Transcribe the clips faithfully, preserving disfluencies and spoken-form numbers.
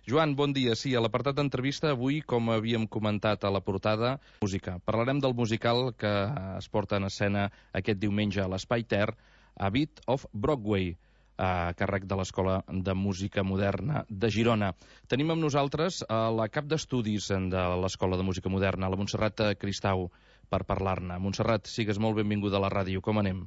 Joan, bon dia. Sí, a l'apartat d'entrevista avui, com havíem comentat a la portada, música. Parlarem del musical que es porta en escena aquest diumenge a l'Espai Ter, A Bit of Broadway, a càrrec de l'Escola de Música Moderna de Girona. Tenim amb nosaltres a la cap d'estudis de l'Escola de Música Moderna, la Montserrat Cristau, per parlar-ne. Montserrat, sigues molt benvinguda a la ràdio. Com anem?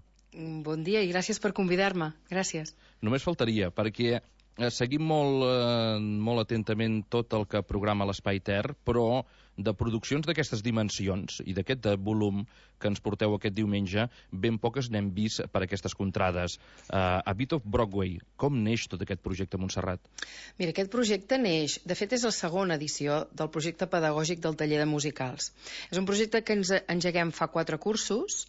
Bon dia i gràcies per convidar-me. Gràcies. Només faltaria, perquè seguim molt, eh, molt atentament tot el que programa l'Espai Ter, però de produccions d'aquestes dimensions i d'aquest volum que ens porteu aquest diumenge, ben poques n'hem vist per aquestes contrades. Uh, A Bit of Broadway, com neix tot aquest projecte, Montserrat? Mira, aquest projecte neix, de fet és la segona edició del projecte pedagògic del taller de musicals. És un projecte que ens engeguem fa quatre cursos,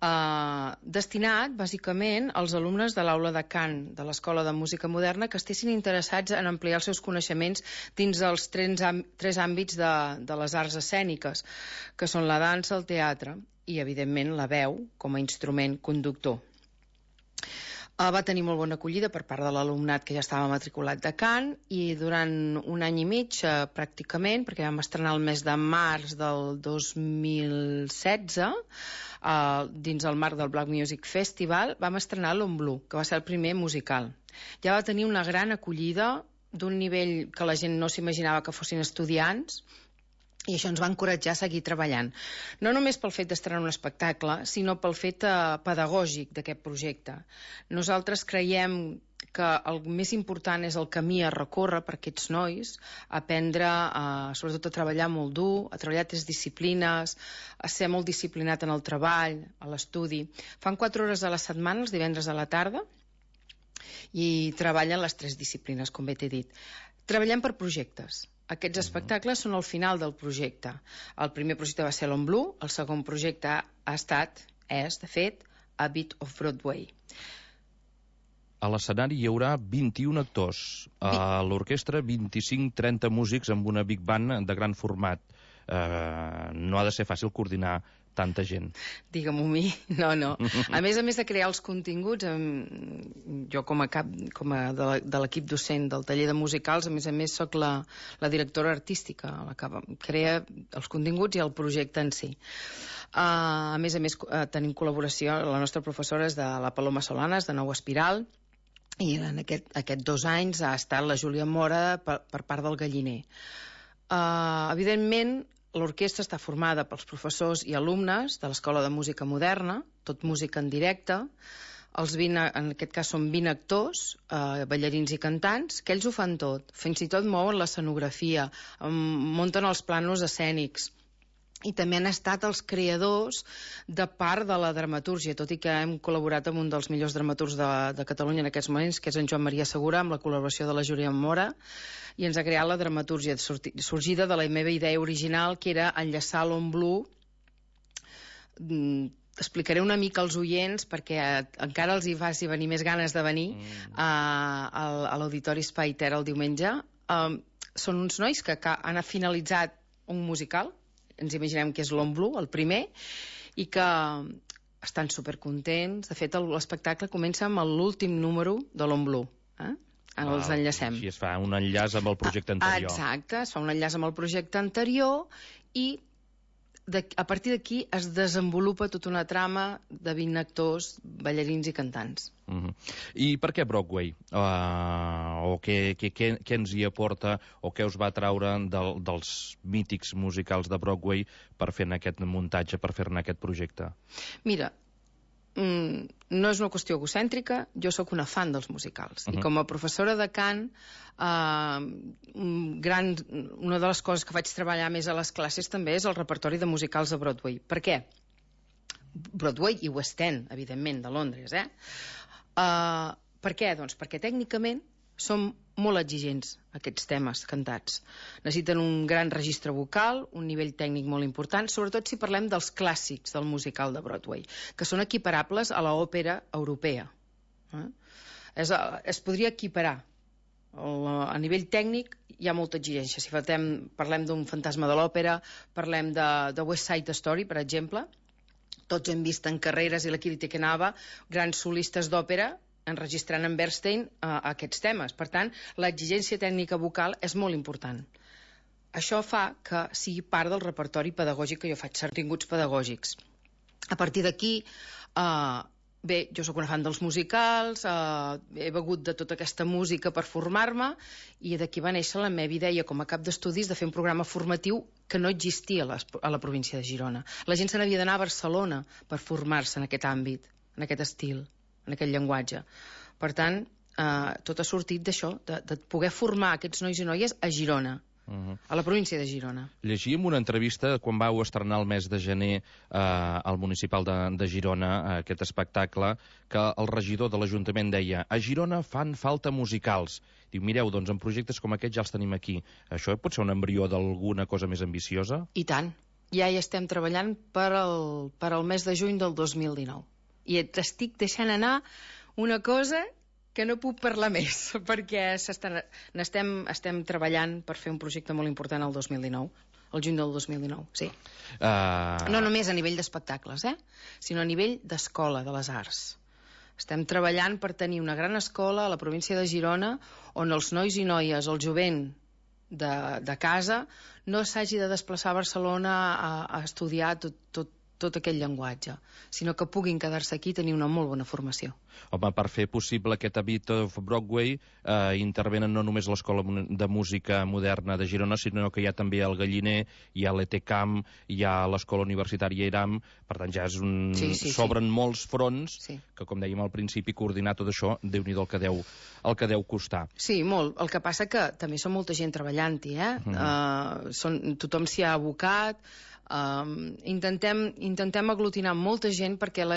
eh, destinat, bàsicament, als alumnes de l'aula de cant de l'Escola de Música Moderna que estessin interessats en ampliar els seus coneixements dins dels tres, tres àmbits de, de les arts escèniques, que són la dansa, el teatre i, evidentment, la veu com a instrument conductor. Uh, va tenir molt bona acollida per part de l'alumnat que ja estava matriculat de cant i durant un any i mig, uh, pràcticament, perquè vam estrenar el mes de març del dos mil setze, uh, dins el marc del Black Music Festival, vam estrenar l'On Blue, que va ser el primer musical. Ja va tenir una gran acollida d'un nivell que la gent no s'imaginava que fossin estudiants, i això ens va encoratjar a seguir treballant. No només pel fet d'estrenar un espectacle, sinó pel fet eh, pedagògic d'aquest projecte. Nosaltres creiem que el més important és el camí a recórrer per aquests nois, aprendre, eh, sobretot a treballar molt dur, a treballar tres disciplines, a ser molt disciplinat en el treball, a l'estudi. Fan quatre hores a la setmana, els divendres a la tarda, i treballen les tres disciplines, com bé t'he dit. Treballem per projectes. Aquests espectacles són el final del projecte. El primer projecte va ser l'On Blue, el segon projecte ha estat, és, de fet, A Bit of Broadway. A l'escenari hi haurà vint-i-un actors, a l'orquestra vint-i-cinc trenta músics amb una big band de gran format. Uh, no ha de ser fàcil coordinar tanta gent. Digue-m'ho a mi, no, no. A més a més de crear els continguts, jo com a cap com a de l'equip docent del taller de musicals, a més a més soc la, la directora artística, la que crea els continguts i el projecte en si. Uh, a més a més uh, tenim col·laboració, la nostra professora és de la Paloma Solanas, de Nou Espiral, i en aquest, aquest dos anys ha estat la Júlia Mora per, per part del Galliner. Uh, evidentment, l'orquestra està formada pels professors i alumnes de l'Escola de Música Moderna, tot música en directe. Els vint, en aquest cas són vint actors, eh, ballarins i cantants, que ells ho fan tot. Fins i tot mouen l'escenografia, munten els planos escènics. I també han estat els creadors de part de la dramatúrgia, tot i que hem col·laborat amb un dels millors dramaturgs de, de Catalunya en aquests moments, que és en Joan Maria Segura, amb la col·laboració de la Júlia Mora, i ens ha creat la dramatúrgia sorgida de la meva idea original, que era enllaçar l'On Blue. Explicaré una mica als oients perquè encara els hi faci venir més ganes de venir mm. a, a l'Auditori Espai Ter el diumenge. Um, són uns nois que, que han finalitzat un musical, ens imaginem que és l'On Blue, el primer, i que estan supercontents. De fet, l'espectacle comença amb l'últim número de l'On Blue. Eh? Ara els enllacem. Així es fa un enllaç amb el projecte anterior. Exacte, es fa un enllaç amb el projecte anterior i de, a partir d'aquí es desenvolupa tota una trama de vint actors, ballarins i cantants. Uh-huh. I per què Broadway? Uh, o què, què, què, què ens hi aporta o què us va traure del, dels mítics musicals de Broadway per fer-ne aquest muntatge, per fer-ne aquest projecte? Mira, mm, no és una qüestió egocèntrica, jo sóc una fan dels musicals. Uh-huh. I com a professora de cant, uh, un gran, una de les coses que vaig treballar més a les classes també és el repertori de musicals de Broadway. Per què? Broadway i West End, evidentment, de Londres, eh? Uh, per què? Doncs perquè tècnicament són molt exigents aquests temes cantats. Necessiten un gran registre vocal, un nivell tècnic molt important, sobretot si parlem dels clàssics del musical de Broadway, que són equiparables a l'òpera europea. Eh? És, es podria equiparar. A nivell tècnic hi ha molta exigència. Si parlem, parlem d'un fantasma de l'òpera, parlem de, de West Side Story, per exemple, tots hem vist en carreres i la crítica anava, grans solistes d'òpera enregistrant en Bernstein uh, aquests temes. Per tant, l'exigència tècnica vocal és molt important. Això fa que sigui part del repertori pedagògic que jo faig, continguts pedagògics. A partir d'aquí, eh, bé, jo sóc una fan dels musicals, eh, he begut de tota aquesta música per formar-me, i d'aquí va néixer la meva idea com a cap d'estudis de fer un programa formatiu que no existia a la, a la província de Girona. La gent se n'havia d'anar a Barcelona per formar-se en aquest àmbit, en aquest estil, en aquest llenguatge. Per tant, eh, tot ha sortit d'això, de, de poder formar aquests nois i noies a Girona. Uh-huh. A la província de Girona. Llegíem una entrevista quan vau estrenar el mes de gener eh, al municipal de, de Girona, eh, aquest espectacle, que el regidor de l'Ajuntament deia: a Girona fan falta musicals. Diu, mireu, doncs en projectes com aquest ja els tenim aquí. Això pot ser un embrió d'alguna cosa més ambiciosa? I tant. Ja hi estem treballant per al, per al mes de juny del dos mil dinou. I t'estic deixant anar una cosa que no puc parlar més, perquè estem, estem treballant per fer un projecte molt important el dos mil dinou, el juny del dos mil dinou, sí. Uh... No només a nivell d'espectacles, eh? Sinó a nivell d'escola, de les arts. Estem treballant per tenir una gran escola a la província de Girona on els nois i noies, el jovent de, de casa, no s'hagi de desplaçar a Barcelona a, a estudiar tot, tot, tot aquest llenguatge, sinó que puguin quedar-se aquí i tenir una molt bona formació. Home, per fer possible aquest A Bit of Broadway eh, intervenen no només l'Escola de Música Moderna de Girona, sinó que hi ha també el Galliner, hi ha l'E T Camp, hi ha l'Escola Universitària Iram, per tant ja és un... Sí, sí, s'obren sí. molts fronts, sí. Que com dèiem al principi, coordinar tot això, Déu-n'hi-do el que deu, el que deu costar. Sí, molt. El que passa que també són molta gent treballant-hi, eh? Mm. Uh, són, tothom s'hi ha abocat. Um, intentem, intentem aglutinar molta gent perquè la,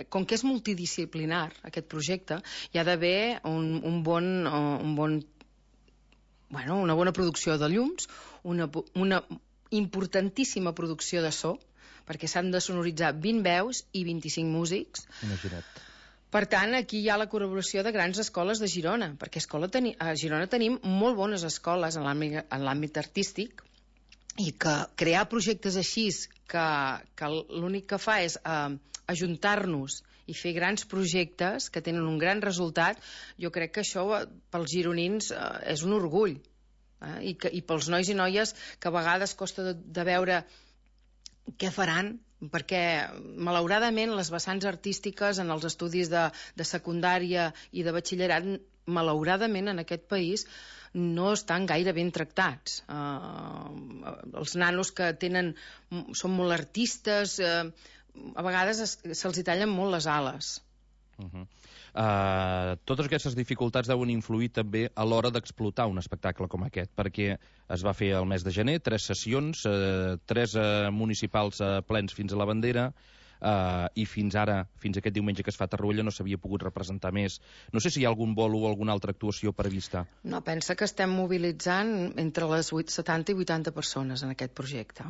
com que és multidisciplinar aquest projecte, hi ha d'haver un, un bon, uh, un bon bueno, una bona producció de llums, una, una importantíssima producció de so, perquè s'han de sonoritzar vint veus i vint-i-cinc músics. Imagina't. Per tant, aquí hi ha la col·laboració de grans escoles de Girona, perquè escola teni, a Girona tenim molt bones escoles en l'àmbit artístic, i que crear projectes així, que, que l'únic que fa és eh, ajuntar-nos i fer grans projectes que tenen un gran resultat, jo crec que això pels gironins eh, és un orgull. Eh? I, que, I pels nois i noies que a vegades costa de, de veure què faran, perquè malauradament les vessants artístiques en els estudis de, de secundària i de batxillerat, malauradament en aquest país no estan gaire ben tractats. Uh, els nanos que tenen, són molt artistes, uh, a vegades se'ls hi tallen molt les ales. Uh-huh. Uh, totes aquestes dificultats deuen influir també a l'hora d'explotar un espectacle com aquest, perquè es va fer el mes de gener, tres sessions, uh, tres uh, municipals uh, plens fins a la bandera, Uh, i fins ara, fins aquest diumenge que es fa a Tarruella, no s'havia pogut representar més. No sé si hi ha algun bolo o alguna altra actuació prevista. No, pensa que estem mobilitzant entre les setanta i vuitanta persones en aquest projecte.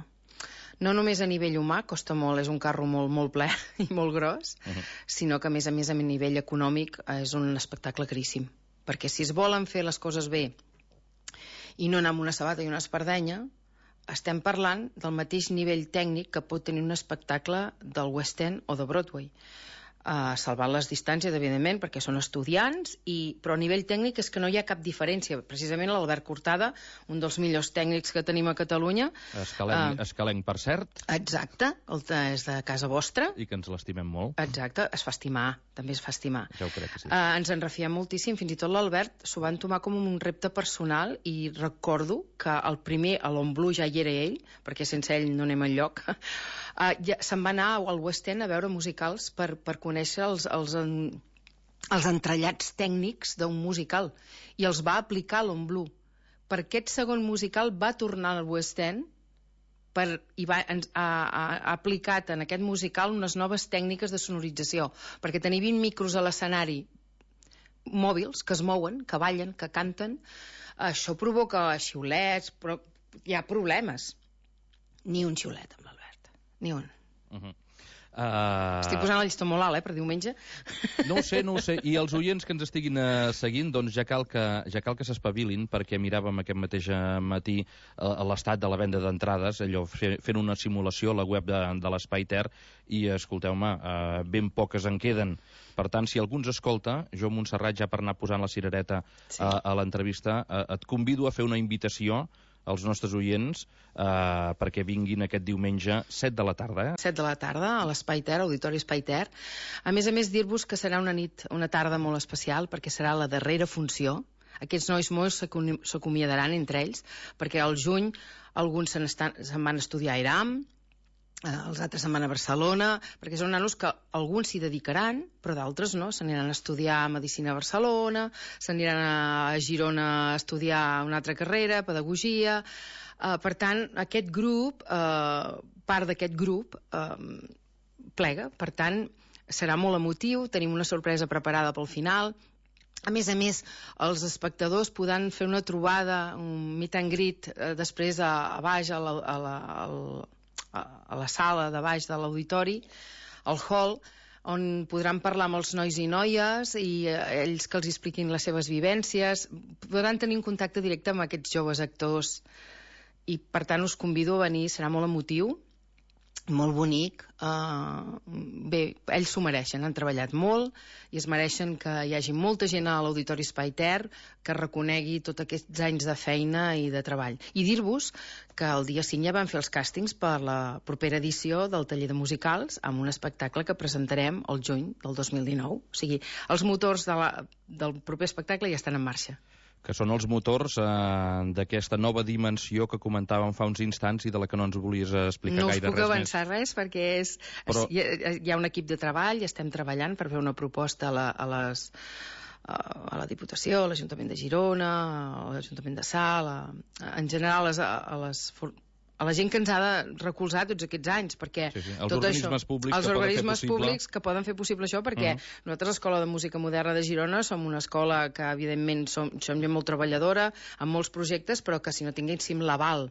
No només a nivell humà, costa molt, és un carro molt, molt ple i molt gros, uh-huh. sinó que a més a més a nivell econòmic és un espectacle caríssim. Perquè si es volen fer les coses bé i no anar amb una sabata i una espardenya, estem parlant del mateix nivell tècnic que pot tenir un espectacle del West End o de Broadway. Uh, salvant les distàncies, evidentment, perquè són estudiants, i, però a nivell tècnic és que no hi ha cap diferència. Precisament l'Albert Cortada, un dels millors tècnics que tenim a Catalunya... Escalenc, uh, escalenc per cert. Exacte, el és de casa vostra. I que ens l'estimem molt. Exacte, es fa estimar, també es fa estimar. Ja ho crec que sí. Uh, ens en refiem moltíssim, fins i tot l'Albert s'ho van tomar com un repte personal, i recordo que el primer, a l'Omblu, ja hi era ell, perquè sense ell no anem enlloc. Uh, ja, se'n va anar al West End a veure musicals per, per conèixer els, els, en, els entrellats tècnics d'un musical, i els va aplicar a l'Omblu. Per aquest segon musical va tornar al West End per, i va, ha, ha, ha aplicat en aquest musical unes noves tècniques de sonorització, perquè tenir vint micros a l'escenari mòbils, que es mouen, que ballen, que canten, això provoca xiulets, però hi ha problemes. Ni un xiulet amb l'Albert, ni un. Uh-huh. Uh... Estic posant la llista molt alt, eh, per diumenge. No ho sé, no ho sé. I els oients que ens estiguin uh, seguint, doncs ja cal que, ja cal que s'espavilin, perquè miràvem aquest mateix matí uh, l'estat de la venda d'entrades, allò, fe, fent una simulació a la web de, de l'Espai Ter, i escolteu-me, uh, ben poques en queden. Per tant, si algú ens escolta, jo, Montserrat, ja per anar posant la cirereta sí. uh, a l'entrevista, uh, et convido a fer una invitació als nostres oients eh, perquè vinguin aquest diumenge set de la tarda. Eh? set de la tarda, a l'Espai Ter, Auditori Espai Ter. A més a més, dir-vos que serà una nit, una tarda molt especial, perquè serà la darrera funció. Aquests nois molts s'acomiadaran entre ells, perquè al juny alguns se'n se van estudiar a Iram, eh, els altres se'n van a Barcelona, perquè són nanos que alguns s'hi dedicaran, però d'altres no, s'aniran a estudiar Medicina a Barcelona, s'aniran a Girona a estudiar una altra carrera, Pedagogia. Eh, per tant, aquest grup, eh, part d'aquest grup, eh, plega. Per tant, serà molt emotiu, tenim una sorpresa preparada pel final. A més a més, els espectadors podran fer una trobada, un meet and greet, eh, després a, a baix, a la, a la, a, a la sala de baix de l'auditori, al hall, on podran parlar amb els nois i noies i eh, ells que els expliquin les seves vivències. Podran tenir un contacte directe amb aquests joves actors i, per tant, us convido a venir. Serà molt emotiu, molt bonic. Uh, bé, ells s'ho mereixen, han treballat molt i es mereixen que hi hagi molta gent a l'Auditori Espai Ter que reconegui tots aquests anys de feina i de treball. I dir-vos que el dia cinc ja van fer els càstings per la propera edició del taller de musicals amb un espectacle que presentarem el juny del dos mil dinou. O sigui, els motors de la, del proper espectacle ja estan en marxa. Que són els motors eh, d'aquesta nova dimensió que comentàvem fa uns instants i de la que no ens volies explicar no gaire res més. No us puc avançar res perquè és, Però... hi, ha, hi ha un equip de treball, estem treballant per fer una proposta a, la, a, les, a la Diputació, a l'Ajuntament de Girona, a l'Ajuntament de Salt, a, en general a les, a les a la gent que ens ha de recolzar tots aquests anys, perquè sí, sí. Els tot organismes això, públics, els que, organismes poden públics que poden fer possible això, perquè uh-huh. nosaltres, l'Escola de Música Moderna de Girona, som una escola que, evidentment, som, som gent molt treballadora, amb molts projectes, però que si no tinguéssim l'aval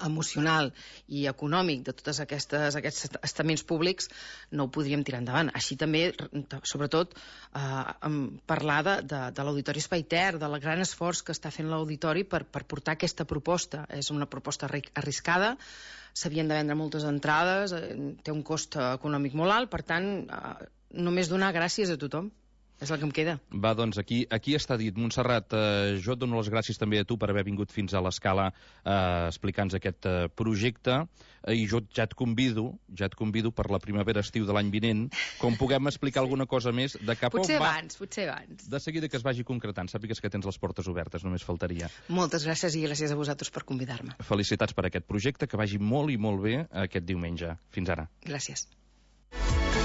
emocional i econòmic de tots aquestes, aquests estaments públics no ho podríem tirar endavant. Així també, sobretot, eh, parlar de, de, de l'Auditori Espai Ter, del gran esforç que està fent l'Auditori per, per portar aquesta proposta. És una proposta arriscada, s'havien de vendre moltes entrades, té un cost econòmic molt alt, per tant, eh, només donar gràcies a tothom. És el que em queda. Va, doncs, aquí, aquí està dit. Montserrat, eh, jo et dono les gràcies també a tu per haver vingut fins a l'Escala eh, explicant-nos aquest eh, projecte, eh, i jo ja et convido, ja et convido per la primavera-estiu de l'any vinent, com puguem explicar sí. alguna cosa més de cap potser on va... abans, potser abans. De seguida que es vagi concretant, sàpigues que tens les portes obertes, només faltaria. Moltes gràcies i gràcies a vosaltres per convidar-me. Felicitats per aquest projecte, que vagi molt i molt bé aquest diumenge. Fins ara. Gràcies.